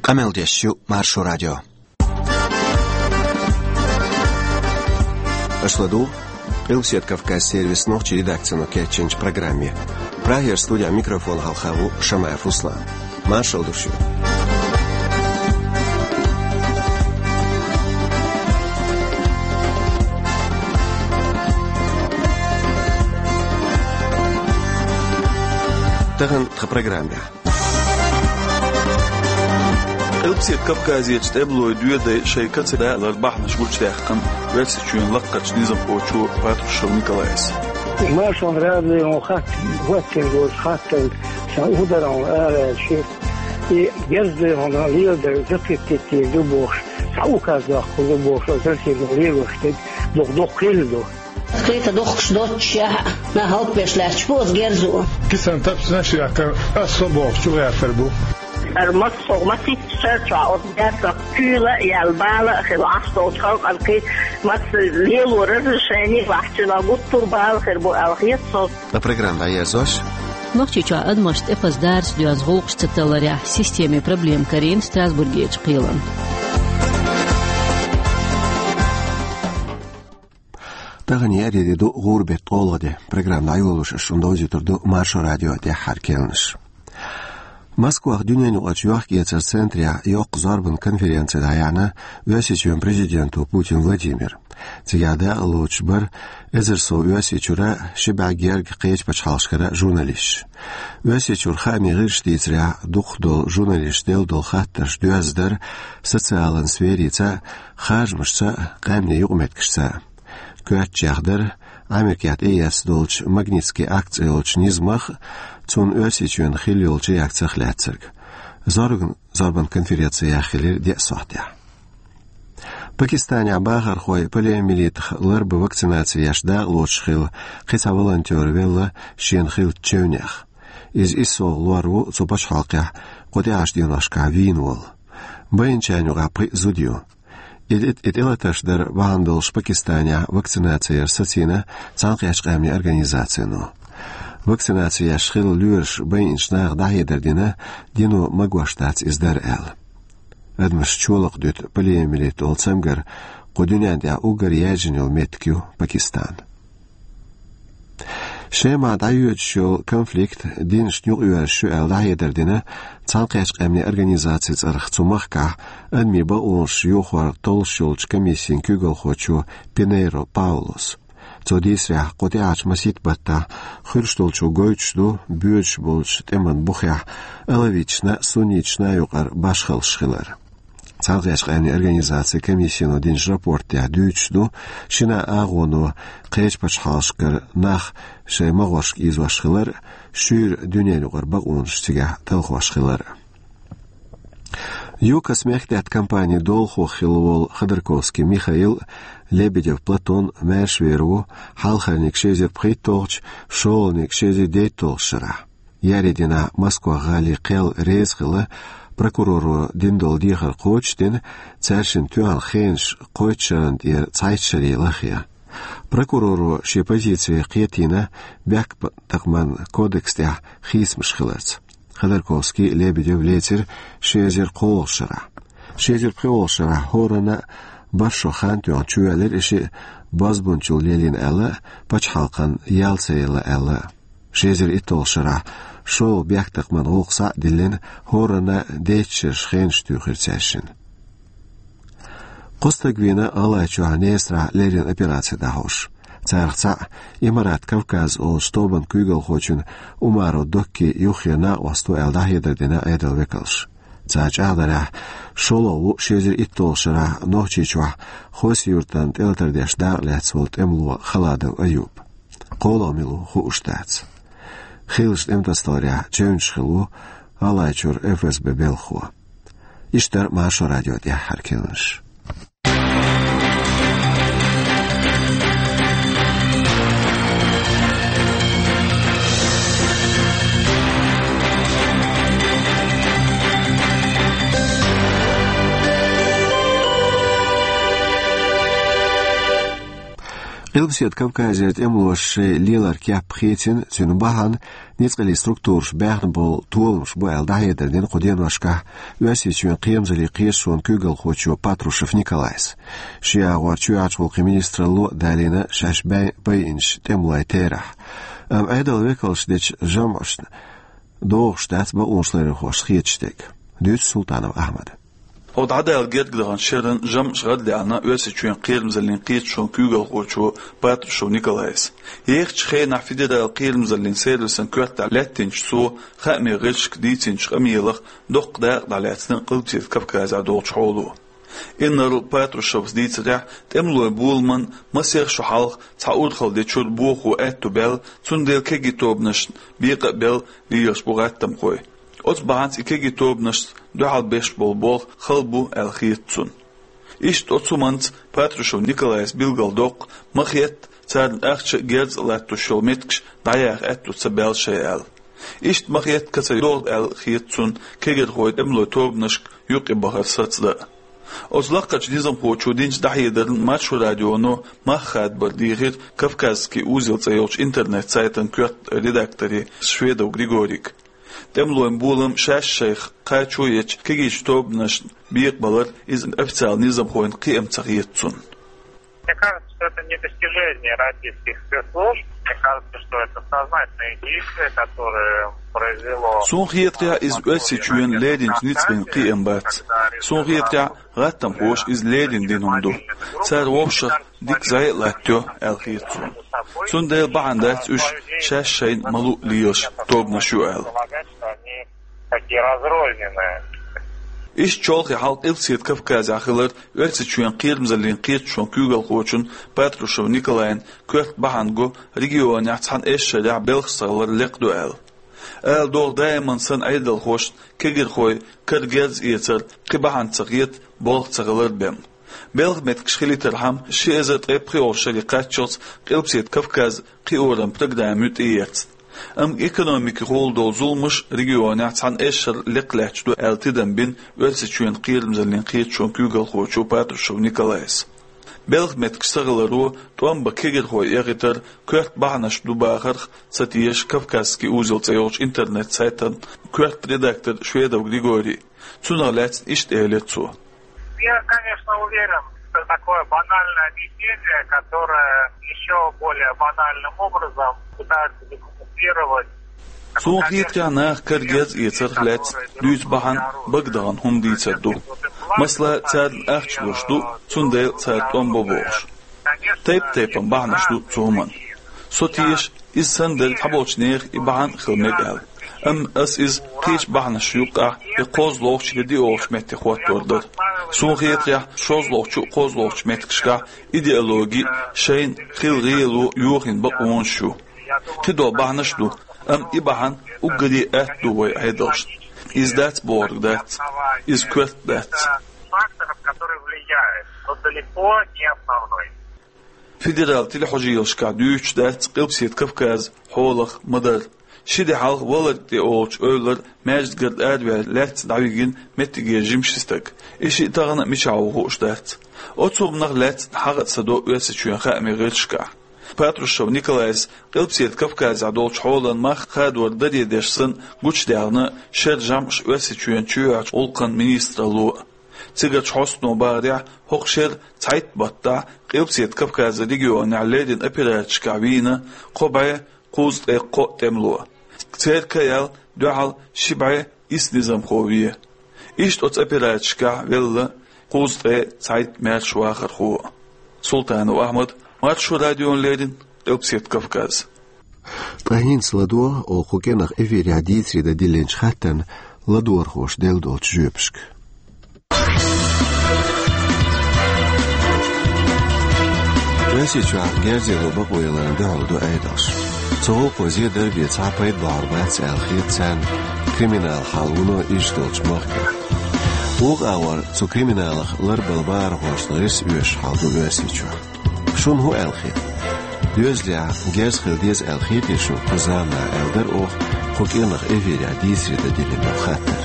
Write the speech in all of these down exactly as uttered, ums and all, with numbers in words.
Къамел деш ю Маршо радио. Аша ладугӀу Къилбаседа Кавказ сервисан нохчийн редакцино кечйинчу программе. Прагера студехь микрофон хьалха ву Шамаев Руслан. Маршалла ду шуьга. Тахана тхан программехь. Къилбаседа Кавказерчу тӀемалойн доьдай шайн каца далар бахьанаш гучудаьккхина Оьрсийчоьнан лакхарчу низамхочо Патрушев Николайс. Маршо радион хатта хӀоттийна долчу хаттарна сан ударан ара аьлла ши, и герз дойхана леладар закхиттийтийр ду бохуш, цхьа указ доккхур ду бохуш, оцу Оьрсийчоьнан лелош дерг дукха доккхийла ду. Кхета дохкуш доццушехь а, нах хӀаллакбеш лаьтташ бу оцу герзо. Кисана тапсанаш а яьккхина, ас со бохучу гӀертар бу. Ара массо а масийтта шарчохь оцу герзах куьйла а яьлла, бала а хилла, Ӏаш долчу халкъана кхин маца лело разрешение а лахьча, гуттар а бала хир бу аьлла хета со. Ткъа программа дӀаерзош. Нохчийчохь адамашна тӀепаза дарца доьзна гӀуллакхаш ца талларехь системин проблема карийна Страсбургерчу кхелана. Тахана еарин де ду, гӀуран беттан ткъолгӀа де. Программа дӀайолош ас шуна довзуьйтур ду Маршо радион тӀаьххьара керланаш. Москвахь дуьненаюкъарчу йохк-эцаран центрехь йоккха зорбан конференци дӀаяьхьна Оьрсийчоьнан президенто Путин Владимира. Цигахь дакъалоцуш бара эзар сов Оьрсийчуьра, ши бӀе гергга кхечу пачхьалкхашкара журналисташ. Оьрсийчуьра хаамийн гӀирсаша дийцарехь, дукхах долу журналисташа делла долу хаттарш доьзна дара социалан сферица, харжамашца, къаьмнийн юкъаметтигашца. Коьртачех дара Америкехь тӀеэцна долчу Магнитский акт цӀе йолчу низамах а, цунна Оьрсийчоьнан хилла йолчу реакцех а лаьцнарг. Зорбан, зорбан конференци яьхна хилира деа сохьтехь. Пакистанехь бахархой полиомиелитах ларбан вакцинаци еш дакъалоцуш хилла кхин цхьа волонтер велла шена хиллачу чевнех. Иза иссалгӀа лор ву цу пачхьалкхехь кху тӀаьхьарчу деношкахь вийна волу. Байначарна юкъахь пхиъ зуда ю. И, и, и тӀелатарш дар бахьана долуш Пакистанехь вакцинаци яр сацийна Цхьаьнакхеттачу Къаьмнийн Организацино. Вакцинаци еш хилла лоьраш байинчу наха дӀахьедар дина, дино магош дац иза дар аьлла. Адамаш чолакх дуьту полиомиелит олу цамгар кху дуьнен тӀехь уггар яьржина йолу меттиг ю Пакистан. Шемахь дӀайоьдуш йолу конфликт динашна юкъаоьрзуш ю аьлла дӀахьедар дина Цхьаьнакхеттачу Къаьмнийн Организацин цӀарах цу махкахь адамийн бакъонаш йохор толлуш йолчу комиссин куьйгалхочо Пинейро Паулос. Цо дийцарехь, кху тӀаьхьарчу масийтта баттахь хуьлуш долчо гойтуш ду боьдуш болчу тӀеман бухехь алавиташна а, сунниташна а юкъара башхаллаш хилар. Цхьаьнакхеттачу Къаьмнийн Организацин комиссино динчу рапортехь дуьйцуш ду, шина а агӀоно кхечу пачхьалкхашкара нах шайн магӀоршка ийзош хилар а, шуьйра дуьненаюкъара бакъонаш цигахь талхош хилар а. ЮКОС мехкдаьтта компанин долахо хилла волу Ходорковский Михаил, Лебедев Платон маьршавер ву хьалхарниг ши эзар пхийтталгӀачу, шолгӀаниг ши эзар дейтталгӀачу шарахь. Еарин дийнахь Москва гӀалин кхел реза хилла прокуроро дина долу дехар кхочушдина, цаьршинна тоьхна хенаш кхойтта шарна тӀера цхьайтта шаре лахъян. Прокуроро шен позици кхетийна, бехктакхаман кодекс тӀехь хийцамаш хиларца. Ходорковский, Лебедев лецира ши эзар кхоалгӀачу шарахь. Ши эзар пхоьалгӀачу шарахь хӀоранна а бархӀ шо хан тоьхна чувоьллира и шиъ, бозбунчалла лелийна аьлла а, пачхьалкхана ял ца елла аьлла а. Ши эзар итталгӀачу шарахь шолгӀа бехктакхаман гӀуллакх схьа а диллина, хӀоранна а дейтта шераш хенаш туьйхира цаьршинна. Кхо стаг вийна ГӀалгӀайчохь Несарахь леррина операци дӀахьош. Царах цхьаъ Имарат Кавказ олучу тобанан куьйгалхочун Умаров Доккин юххера накъост ву аьлла дӀахьедар дина Ӏедалан векалша. Цара чӀагӀдарехь, шолгӀа ву ши эзар итталгӀачу шарахь Нохчийчохь Хоси-Юьртана тӀелатар деш дакъалаьцна волу тӀемало Халадов Аюб. КхоалгӀа мила ву хууш дац. Хийлачу тӀематасадаларехь чевнаш хилла ву ГӀалгӀайчуьра ФСБ белхахо. Иштта дара Маршо радион тӀаьххьара керланаш. Къилбаседа Кавказера тӀемалоша шоай лелар кеп хецна, цуьнан бахьана ницкъаллин структураша баьхна болу толамаш бу аьлла, дӀахьедар дина кху деношкахь Оьрсийчоьнан кхерамзаллин кхеташонан куьйгалхочо Патрушев Николайс. Шен агӀор чоьхьарчу гӀуллакхийн министралло а далийна шаьш бай-, байинчу тӀемалойн терахь. Амма Ӏедалан векалша дечу жамӀашна догӀуш дац бакъонашларъярхошна хеташ дерг. Дуьйцу Султанов Ахьмада. Хьо дӀадала герга даханчу шеран жамӀаш гӀарадаьхна Оьрсийчоьнан кхерамзаллин кхеташонан куьйгалхочо Патрушев Николайс. Ехачу хенахь федералан кхерамзаллин сервисан коьртехь лаьттинчу цо хаамийн гӀирсашка дийцинчу къамелах доккха дакъа дӀалаьцна Къилбаседа Кавказехь долчу хьоло. Иннарла Патрушевс дийцарехь, тӀемалойн боламан масех шо хьалха цхьа урхалла дечуьра бохо аьтту баьлла, цундела кегий тобанашна бекъа а белла лелаш бу гӀаттамхой. Оцу бахьанца и кегий тобанашца дуьхьал беш болу болх хала бу аьлла хета цунна. Иштта оцу хӀуманца Патрушев Николайс билгалдоккху, ма-хетта, царна ахча а, герз а латтош йолу меттигаш дӀаяха аьтту ца баьлла шайн аьлла. Иштта ма-хетта, каца йогӀу аьлла хета цунна кегийрхойн тӀемалойн тобанашка юкъебахар сацдан а. Оцу лакхарчу низамхочо динчу дӀахьедарна Маршо радионо мах хадабар дийхира «Кавказский узел» цӀе йолчу интернет-сайтан коьрта редакторе Шведов Григорига. ТӀемалойн болам шаьш шайх кхачо ечу кегийчу тобанашна бекъабалар иза официалан низамхойн кхиам ца хета цунна. Мне кажется, что это не достижение российских спецслужб. Мне кажется, что это сознательные действия, которые произвело... Суна хетарехь, иза Оьрсийчоьнан леринчу ницкъийн кхиам бац. Суна хетарехь, гӀаттамхоша иза леррина дина хӀума ду. Цара вовшах дика зӀе а латтайо аьлла хета суна. Цундела бахьана дац уьш шаьш шайна ма-луъу лелаш тобанаш ю аьлла. Такие разрозненные. Иштта чолхе хьалха Къилбаседа Кавказехь хилар Оьрсийчоьнан кхерамзаллин кхеташонан куьйгалхочун Патрушев Николайн коьрта бахьана го регионехь цхьана эшшарехь белхаш ца хилар лекха ду аьлла. Ала догӀу, даиман санна Ӏедалхошна кегийрхойн кара герз эцар кхин бахьана ца хета болх ца хилар бен. Белхан меттигаш хилийтархьама, ши эзар ткъе пхоьалгӀачу шаре кхаччалц Къилбаседа Кавказ кхиоран программа ю тӀеэцна. Амма экономикехула долу зуламаш регионехь цхьана эшшара лекха лаьтташ ду аьлла тидам бина Оьрсийчоьнан кхерамзаллин кхеташонан куьйгалхочо Патрушев Николайс. Белхан меттигаш ца хиларо тӀом бан кегийрхой эгӀийтар коьрта бахьанаш ду бахарх ца теша «Кавказский узел» цӀе йолчу интернет-сайтан коьрта редактор Шведов Григорий. Цунах лаьцна иштта элира цо. Я, конечно, уверен, что такое банальное объяснение, которое ещё более банальным образом пытаются декамуфлировать. Суна хетарехь, наха кара герз эцарх лаьцна дуьйцу бахьана бага дахана хӀума дийцар ду. Масала, царна ахча луш ду, цундела цара тӀом бо бохуш. Тайп-тайпана бахьанаш ду цу хӀуманна. Со теша, иза санна дерг цхьаболчу нехан и бахьана а хила мега аьлла. Амма ас иза кхечу бахьанашна юккъехь я кхозлагӀчу, я диъолгӀачу метте хӀоттор дара. Суна хетарехь, шозлагӀчу а, кхозлагӀчу а меттигашкахь идеологи а, шайна хила гӀело а йохийна бакъонаш ю. Кхидолу бахьанаш а ду, амма и бахьана уггаре атта ду вайн Ӏедалшна. Иза дац бохург дац, иза коьрта дац. Факторов, который влияет, но далеко не основной. Федералан телехьожийлашкахь дуьйцуш дац Къилбаседа Кавказан хьолах ма-дарра. Ши де хьалха Валарг тӀе олучу эвлара маьждигара араваьлла лаьцна дӀавигина меттигера жима ши стаг. И шиъ тахана а мичахь ву хууш дац. Оцу хӀуманах лаьцна хьагӀ а ца до Оьрсийчоьнан хаамийн гӀирсашкахь. Патрушев Николайс Къилбаседа Кавказехь долчу хьолан мах хадор даре деш санна гучудаьхна шеран жамӀаш Оьрсийчоьнан чоьхьарчу гӀуллакхийн министралло. Цигарчу хьостано бахарехь, хӀокху шеран цхьайтта баттахь Къилбаседа Кавказан регионехь леррина операцешкахь вийна кхо бӀе кхузткъе кхоъ тӀемало. Церан каял дуьхьал ши бӀе исс низамхо вен. Иштта оцу операцешкахь велла кхузткъе цхьайтта маьрша вахархо. Султанов Ахьмад, Маршо радиона леррина, Къилбаседа Кавказ. Ткъа хӀинца ладогӀа оха кху кӀиранах эфирехь дийцаре дан диллинчу хаттарна ладогӀархоша делла долчу жоьпашка. Оьрсийчохь герзаро бакъо яларна дуьхьал ду Ӏедалш. Цу гӀуллакхо зен дар бен цхьа пайда бахьар бац аьлла хета царна криминалан хьал вуно иза долчу махкахь. Вукху агӀор цу криминалах ларбала бахархошна гӀирс оьшуш хьал ду Оьрсийчохь. Шуна хӀун аьлла хета? Доьзалехь герз хила деза аьлла хетий шуна кху заманахь аьлла дара оха кху кӀиранах эфирехь дийцаре дан диллина долу хаттар.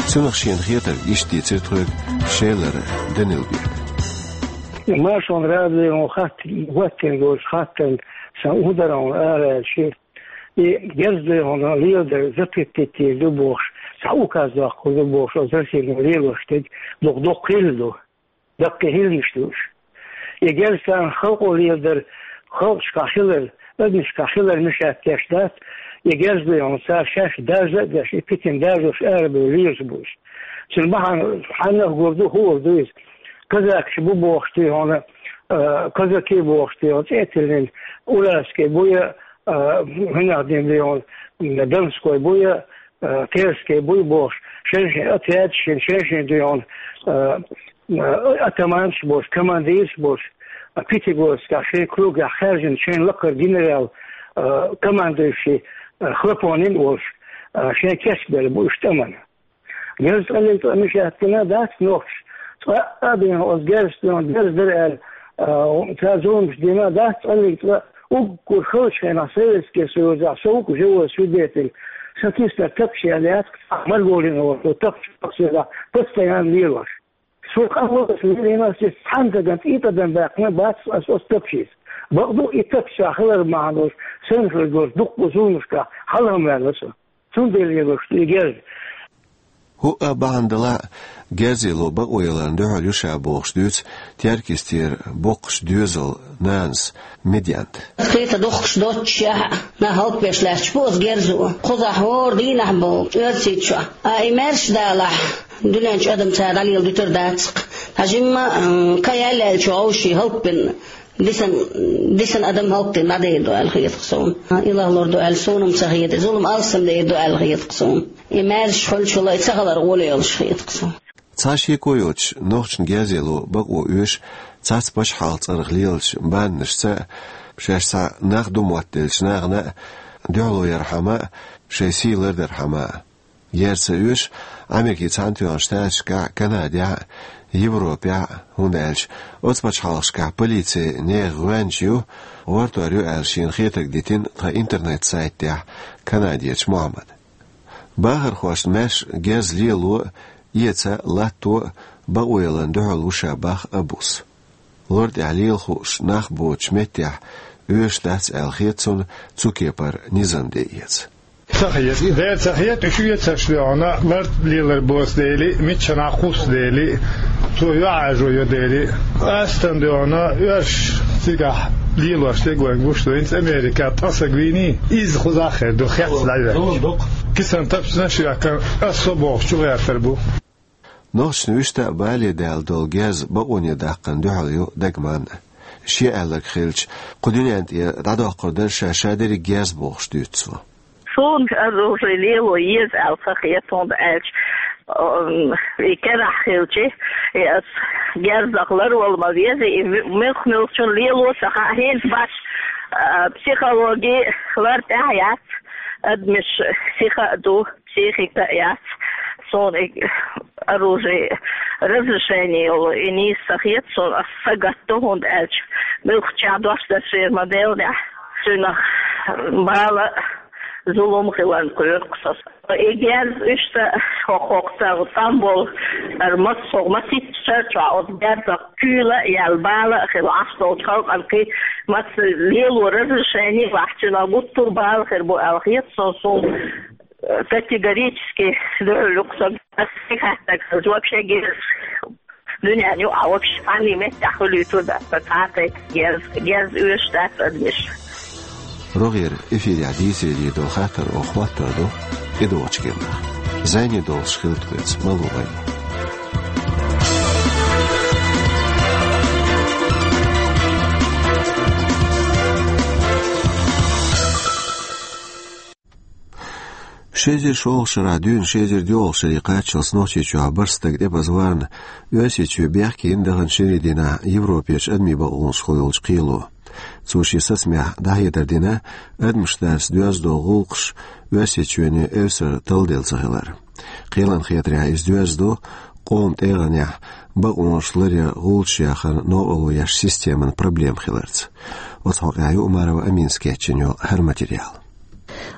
Цунах шена хетарг иштта дийцира тхоьга Шелара Данилбека. Маршонан радион хатта, хӀоттийна долчу хаттарна сан ударон араьлчи, и герз дойхьуна леладар запретить ду бохуш, цхьа указ доккхур ду бохуш, оцу Россино лелош дерг дукха доккха хилла ду. Даккхий хӀуманаш ду уьш. И герз царна халкъо леладар, халкъашкахь хилар, адамашкахь хилар мешать деш дац, и герз дойхьуна цара шаьш даржа а деш, и питана даржош арабевлла лелаш бу уьш. Цуьнан бахьана хьаннах гур ду, хӀора ду иза. Казакаш бу бохуш дойхьуна, а, казаки бохуш дойхьуна, цӀе а тиллина, Уральский бу я, а, хӀунах дина дойхьуна, Донской бу я, а, Терский бу я бохуш, шен-шен отрядаш йина, шен-шен дойхьуна, а, а, атаманаш болуш, командираш болуш, а, Пятигорскехь шайн кругехь хаьржина, шайн лакхара генерал, а, командующий, а, Хлопонин волуш, а, шайн кечбелла бу уьш тӀамна. Герз цкъа лерг цкъа мешать дина дац нохчаша. Цкъа а бен оцу герзашна герз дара аьлла, а, цара зуламаш дина дац цкъа лерг цкъа. Уггар халчу хенахь Советский Союзехь со ву-кх живой свидетель. Сан киснара тапча яьлла яц-кх, Марголина волчу тапча, постоянно лелош. Со къахьоьгуш лелийна ас иза, цхьана дагана цӀий тӀадам баьккхина бац ас оцу тапчица. Бакъду, и тапча хилар бахьана долуш, сайна хир долчу дуккха зуламашкахь хьалхаваьлла со. Цундела лелош ду и герз. ХӀуъа бахьана далахь а, герз лело бакъо яларна дуьхьал ю ша бохуш дуьйцу Теркйистера боккхачу доьзалан нанас Медянта. Кхета духкуш доццушехь а, нах хӀаллакбеш лаьтташ бу оцу герзо. Кхузахь хӀора дийнахь боху, Оьрсийчохь. А и маьрша далахь, дуьнен чу адам цара дӀалела дуьтур дац-кх. Ткъа жимма, м, кхин яьлла аьллачу вовшийн хӀаллакбина, дисан, дисан адам хӀаллакдина дӀадер ду аьлла хета-кх суна. И лахлур ду аьлла суна-м ца хета, зулам алсамдер ду аьлла хета-кх суна. И маьрша хуьлучул а и ца хилар гӀоле йолуш хета-кх суна. Цхьа шеко йоцуш, нохчашна герз лело бакъо оьшу цхьацца пачхьалкхан цӀарах лелачу баннашца а, шаьш цхьа нах ду моттаделлачу нахана а дуьхьало ярхьама а, шайн сий лардархьама а. Герз ца оьшу Америкин Цхьаьнатоьхначу Штаташкахь а, Канадехь а, Европехь а, хӀунда аьлча оцу пачхьалкхашкахь полици нехан гӀоьнча ю, гӀортор ю аьлла шена хетарг дитина тхан интернет-сайтехь Канадерчу Мухьаммада. Бахархошна маьрша герз лело а, эца а, латто а бакъо яларна дуьхьал ву ша боху Абус. Лор тӀехь лела хууш нах боцучу меттехь оьшуш дац аьлла хета цунна цу кепара низам де эца. Ца хета, дера ца хета, уьш эцарш дойхьуна, лар лелар боцу дели, миччанхьа кхуссу дели, цо юьхьӀаьржо йо дели. Къаьстина дойхьуна, оьрсаша цигахь лелош дерг вайна гуш ду, хӀинца Америка ткъа саг вийний, изза кхузахь а хир ду, хецна дӀавоьдуш. Кисана тапчанаш а йоьхкина, ас со бохучу гӀертар бу. Нохчашна вуьшта а бале даьлла долу герз бакъоне даккхарна дуьхьал ю Дагманна. Шен аьлларг хилча, кху дуьнен тӀера дӀадоккхур дара ша, ша дерриг герз бохуш дуьйцу цо. Суна оружие лело еза аьлла ца хета, хӀунда аьлча, м, и керахь хилча, и ас герзах ларвала ма веза, и м-, муьлх-муьлхачун лело ца хаьа, хӀинца бац, а, психологи лар тӀехь яц, адамаш сиха а ду, психика а яц. Суна и оружие разрешение йолу и нийса ца хета, суна ас сагатду, хӀунда аьлча муьлххачехь дош дерш вер ма деллехь, цуьнах бала а, зулам а хиларна кхоьру-кх со. И герз уьш ца хӀокху-хӀокху ца тӀам болу, ара массо а масийтта шар чохь оцу герзах куьйла а яьлла, бала а хилла Ӏаш долчу халкъана кхин маца лело разрешение а бац, цуьнах гуттар а бала хир бу аьлла хета суна, суна категорически дуьхьал ю-кх со. Ас стига хаттарг хилча, вообще герз дуьненна юкъахь вообще цхьанний меттехь хуьлуьйтур дац сан цхьа а тайпа герз, герз оьшуш дац адамаш. РогӀера эфирехь дийцаре дийр долу хаттар оха хӀоттор ду тӀедогӀучу кепара. Зайне долуш хилла тхоьца, ма ло вай. Ши эзар шолгӀачу шарахь дуьйна ши эзар доьалгӀачу шаре кхаччалц Нохчийчохь бархӀ стаг тӀепаза варна, Оьрсийчоь бехке йина даханчу шинарин дийнахь Европерчу адамийн бакъонашкахула йолчу кхело. Цо шен сацамехь дӀахьедар дина адамашна дарца доьзна долу гӀуллакхаш Оьрсийчоьне эвсара талла делла ца хилар. Кхелан хетарехь иза доьзна ду къоман тӀегӀанехь бакъонаш ларъян гӀулчаш яхаран новкъарло еш системан проблема хиларца. Оцу хьокъехь ю Умарова Аминас кечйина йолу хӀара материал.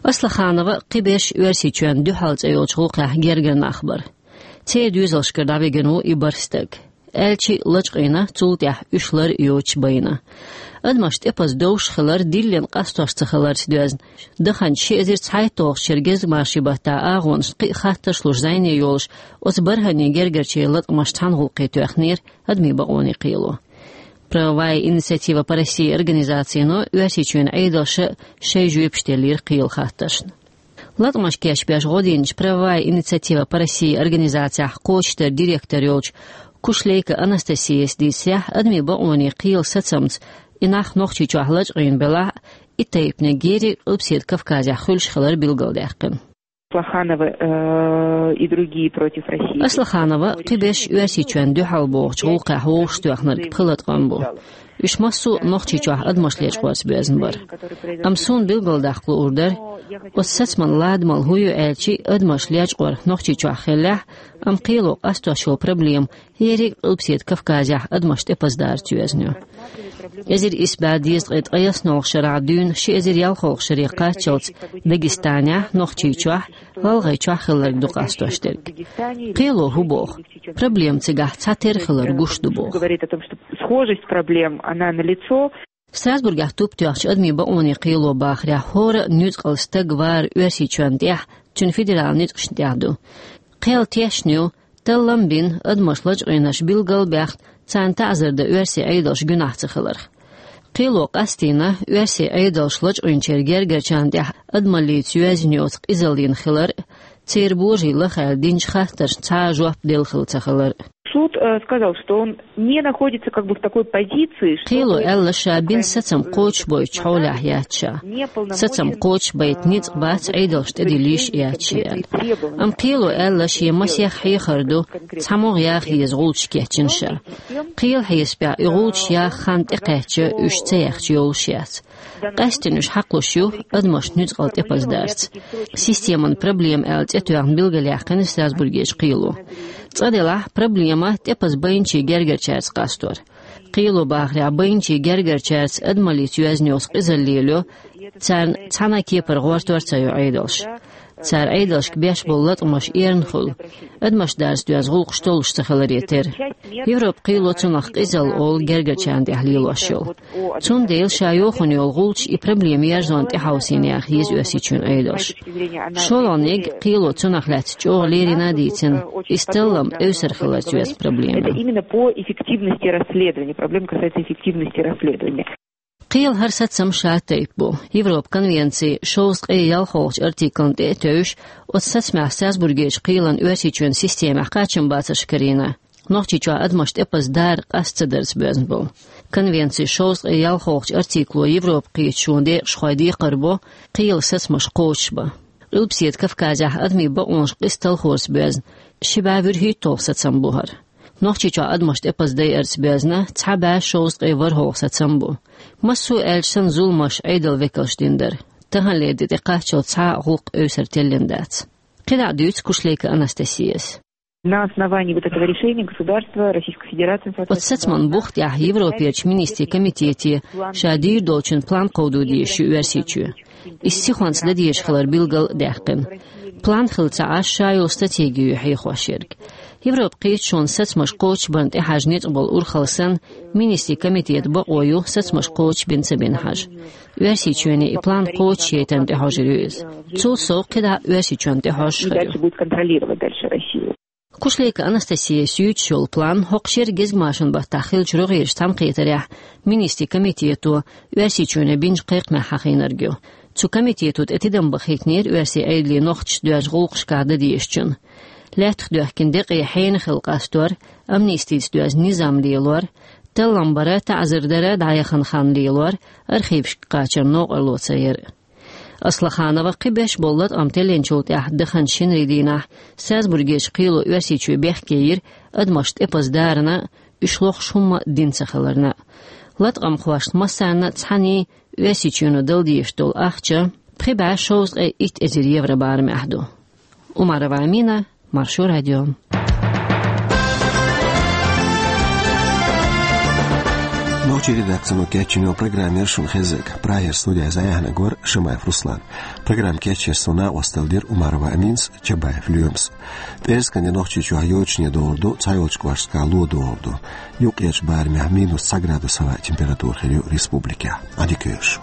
Аслаханова кхиберш Оьрсийчоьнна дуьхьал цӀе йолчу гӀуллакхехь гергара нах бара. Церан доьзалшкара дӀавигина ву и бархӀ стаг. аьлча а лачкъийна, цул тӀехьа уьш лар а йоцуш байна. Адамаш тӀепаза довш хилар диллина къастош ца хиларца доьзна. Даханчу ши эзар цхьайтталгӀачу шеран гезгмашин баттахь агӀонашна кхин а хаттарш луш зӀене йолуш, оцу бархӀанийн гергарчеран латкъамаш цхьана гӀуллакхе тоьхнера адамийн бакъонийн кхело. «Правовая инициатива по России» организацино Оьрсийчоьнан Ӏедалша шайн жоьпаш деллера кхелан хаттаршна. Латкъамаш кечбеш гӀо динчу «Правовая инициатива по России» организацехь кхочушдаран директор йолчу Кушлейко Анастасияс дийцарехь, адамийн бакъонийн кхелан сацамца и нах Нохчийчохь лачкъийна белахь а, и тайпаниг ерриг Къилбаседа Кавказехь хуьлуш хилар билгалдаьккхина. Аслаханова, э, и другие против России. Аслаханова кхиберш Оьрсийчоьнна дуьхьал бохучу гӀуллакхехь вовшахтоьхнарг пхи латкъам бу. Уьш массо а Нохчийчохь адамаш лечкъорца боьзна бара. Амма суна билгалдаккха луур дара, оцу сацаман ладамалла хӀун ю аьлча, адамаш лечкъор Нохчийчохь хиллехь а, амма кхело къастош йолу проблема ерриг а Къилбаседа Кавказехь адамаш тӀепаздарца йоьзна ю. Эзар исс бӀе дезткъе ткъайоьсналгӀачу шарахь дуьйна ши эзар ялхалгӀачу шаре кхаччалц Дагестанехь, Нохчийчохь, ГӀалгӀайчохь хилларг ду къастош дерг. Кхело хӀун боху? Проблема цигахь цхьатерра хилар гуш ду боху. Говорит о том, что схожесть проблем, она налицо. Страсбургехь туп тоьхначу адамийн бакъонийн кхело бахарехь, хӀора а нуьцкъала стаг вар Оьрсийчоьнна тӀехь, цуьнан федералан ницкъашна тӀехь ду. Кхел тешна ю, таллам а бина, адамаш лачкъийнарш билгал а баьхна, царна таӀзар дан оьрсийн Ӏедалша гуьнахь ца хиларх. Кхело къастийна оьрсийн Ӏедалша лачкъийначеран гергарчарна тӀехь адамаллица йоьзна йоцу къизаллина хилар а, церан божарий лахаьлла динчу хаттаршна цхьа а жоп делла хилла ца хилар а. Суд, э, сказал, что он не находится как бы в такой позиции, чтобы... Кхело аьлла, ша бина сацам кхочушбойтучу хьолехь яц ша. Сацам кхочушбайта ницкъ бац Ӏедалшна тӀедиллийта а яц ша аьлла. Амма кхело аьлла, шен масех хьехар ду, цхьаммо а яха еза гӀулчаш кечйина ша. Кхелан хьесапехь и гӀулчаш яха хан тӀекхаьчча, уьш ца яхча йолуш яц. Къаьсттина уьш хьакхалуш ю адамаш нуьцкъала тӀепаздарца. Системан проблема аьлла цӀе тоьхна билгалъяьккхина Страсбургерчу кхело. Цкъа делахь, проблема тӀепаза байначийн гергарчаьрца къастор. Кхело бахарехь, байначийн гергарчаьрца адамаллица йоьзна йоцу къизалла лелайо, царна цхьана а кепара гӀортор а ца йо Ӏедалша. Цара Ӏедалшка беш болу латкъамаш эрна хуьлу, адамаш дарца доьзна гӀуллакхаш толлуш ца хиларе терра. Европан кхело цунах къизалла олу гергарчарна тӀехь лелош йолу. Цундела ша йохийна йолу гӀулчаш и проблема ерзонна тӀехьовсийна яха еза Оьрсийчоьнан Ӏедалша. ШолгӀаниг, кхело цунах лаьцна чӀогӀа леррина а дийцина, иза таллам эвсар хиларца йоьзна проблема. Это именно по эффективности расследования. Проблема касается эффективности расследования. Кхелан хӀара сацам ша тайпа бу. Европан конвенцин шовзткъе ялхолгӀачу артиклна тӀе а тевжаш, оцу сацамехь Страсбургерчу кхелан Оьрсийчоьнан системехь кхачамбацарш карийна Нохчийчохь адамаш тӀепаза дара къаста ца дарца боьзна болу. Конвенцин шовзткъе ялхолгӀачу артикло Европан кхеташонан декъашхойн декхар бо кхелан сацамаш кхочушбан. Къилбаседа Кавказехь адамийн бакъонаш къиза талхорца боьзна ши бӀе вуьрхӀитталгӀа сацам бу хӀара. Нохчийчохь адамаш тӀепаза дайарца боьзна цхьа бӀе шовзткъе ворхӀалгӀа сацам бу. Массо а аьлча санна, зуламаш Ӏедалан векалша дина дара. Таханлера де тӀекхаччалц цхьа а гӀуллакх эвсар теллина дац. КхидӀа а дуьйцу Кушлейко Анастасияс. На основании вот этого решения государства Российской Федерации... Оцу сацаман бух тӀехь Европерчу министрийн комитете ша дийр долчун план кховдо дезаш ю Оьрсийчоь. Иза сихонца дан дезаш хилар билгал а даьккхина. План хилла ца Ӏаш, ша йолу стратеги ю хьехош ерг. Европан кхеташонан сацамаш кхочушбарна тӀехьажа ницкъ болу урхалла санна, министрийн комитетан бакъо ю сацамаш кхочушбина ца бина хьажа. Оьрсийчоьне и план кхочушъяйтарна тӀехьожур ю иза. Цул сов кхидӀа а Оьрсийчоьнна тӀехьожуш хир ю. Дальше будет контролировать дальше Россию. Кушлейко Анастасияс юьйцуш йолу план хӀокху шеран гезгмашин баттахь хиллачу рогӀерчу цхьаьнакхетарехь министрийн комитето Оьрсийчоьне бинчу кхайкхамехь хьахийнарг ю. Цу комитето тӀе тидам бахийтинера оьрсийн Ӏедале нохчашца доьзначу гӀуллакхашкахь дан дезачун. Лаьттах доьхкина декъе хьенан хилла къастор, амнистица доьзна низам лелор, таллам бар, таӀзар дар дӀаяхана хан лелор, архивашка кхачар новкъарло ца яр. Аслаханова кхин беш болу латкъам теллинчул тӀаьхьа даханчу шинарин дийнахь Страсбургерчу кхело Оьрсийчоь бехке йира адамаш тӀепаза дарна а, уьш лохуш хӀумма а дина ца хиларна а. Латкъамхошна массарна а цхьаьний Оьрсийчоьно дала дезаш долу ахча пхи бӀе шовзткъе итт эзар евро барамехь ду. Умарова Амина, Маршо радио. Чи редакцино кечйина йола программа яра шуна хезарг. Прагера студехь зӀе яхьанарг вара Шамаев Руслан. Программа кечъеш суна накъосталла дира Умарова Аминас, Чабаев Лоьмас. ТӀерскан де Нохчийчохь йочане догӀур ду, цхьайолчу кӀошташкахь ло догӀур ду. Юккъерчу барамехь минус цхьа градус хӀаваан температура хир ю республикехь. Ӏадика йойла шу.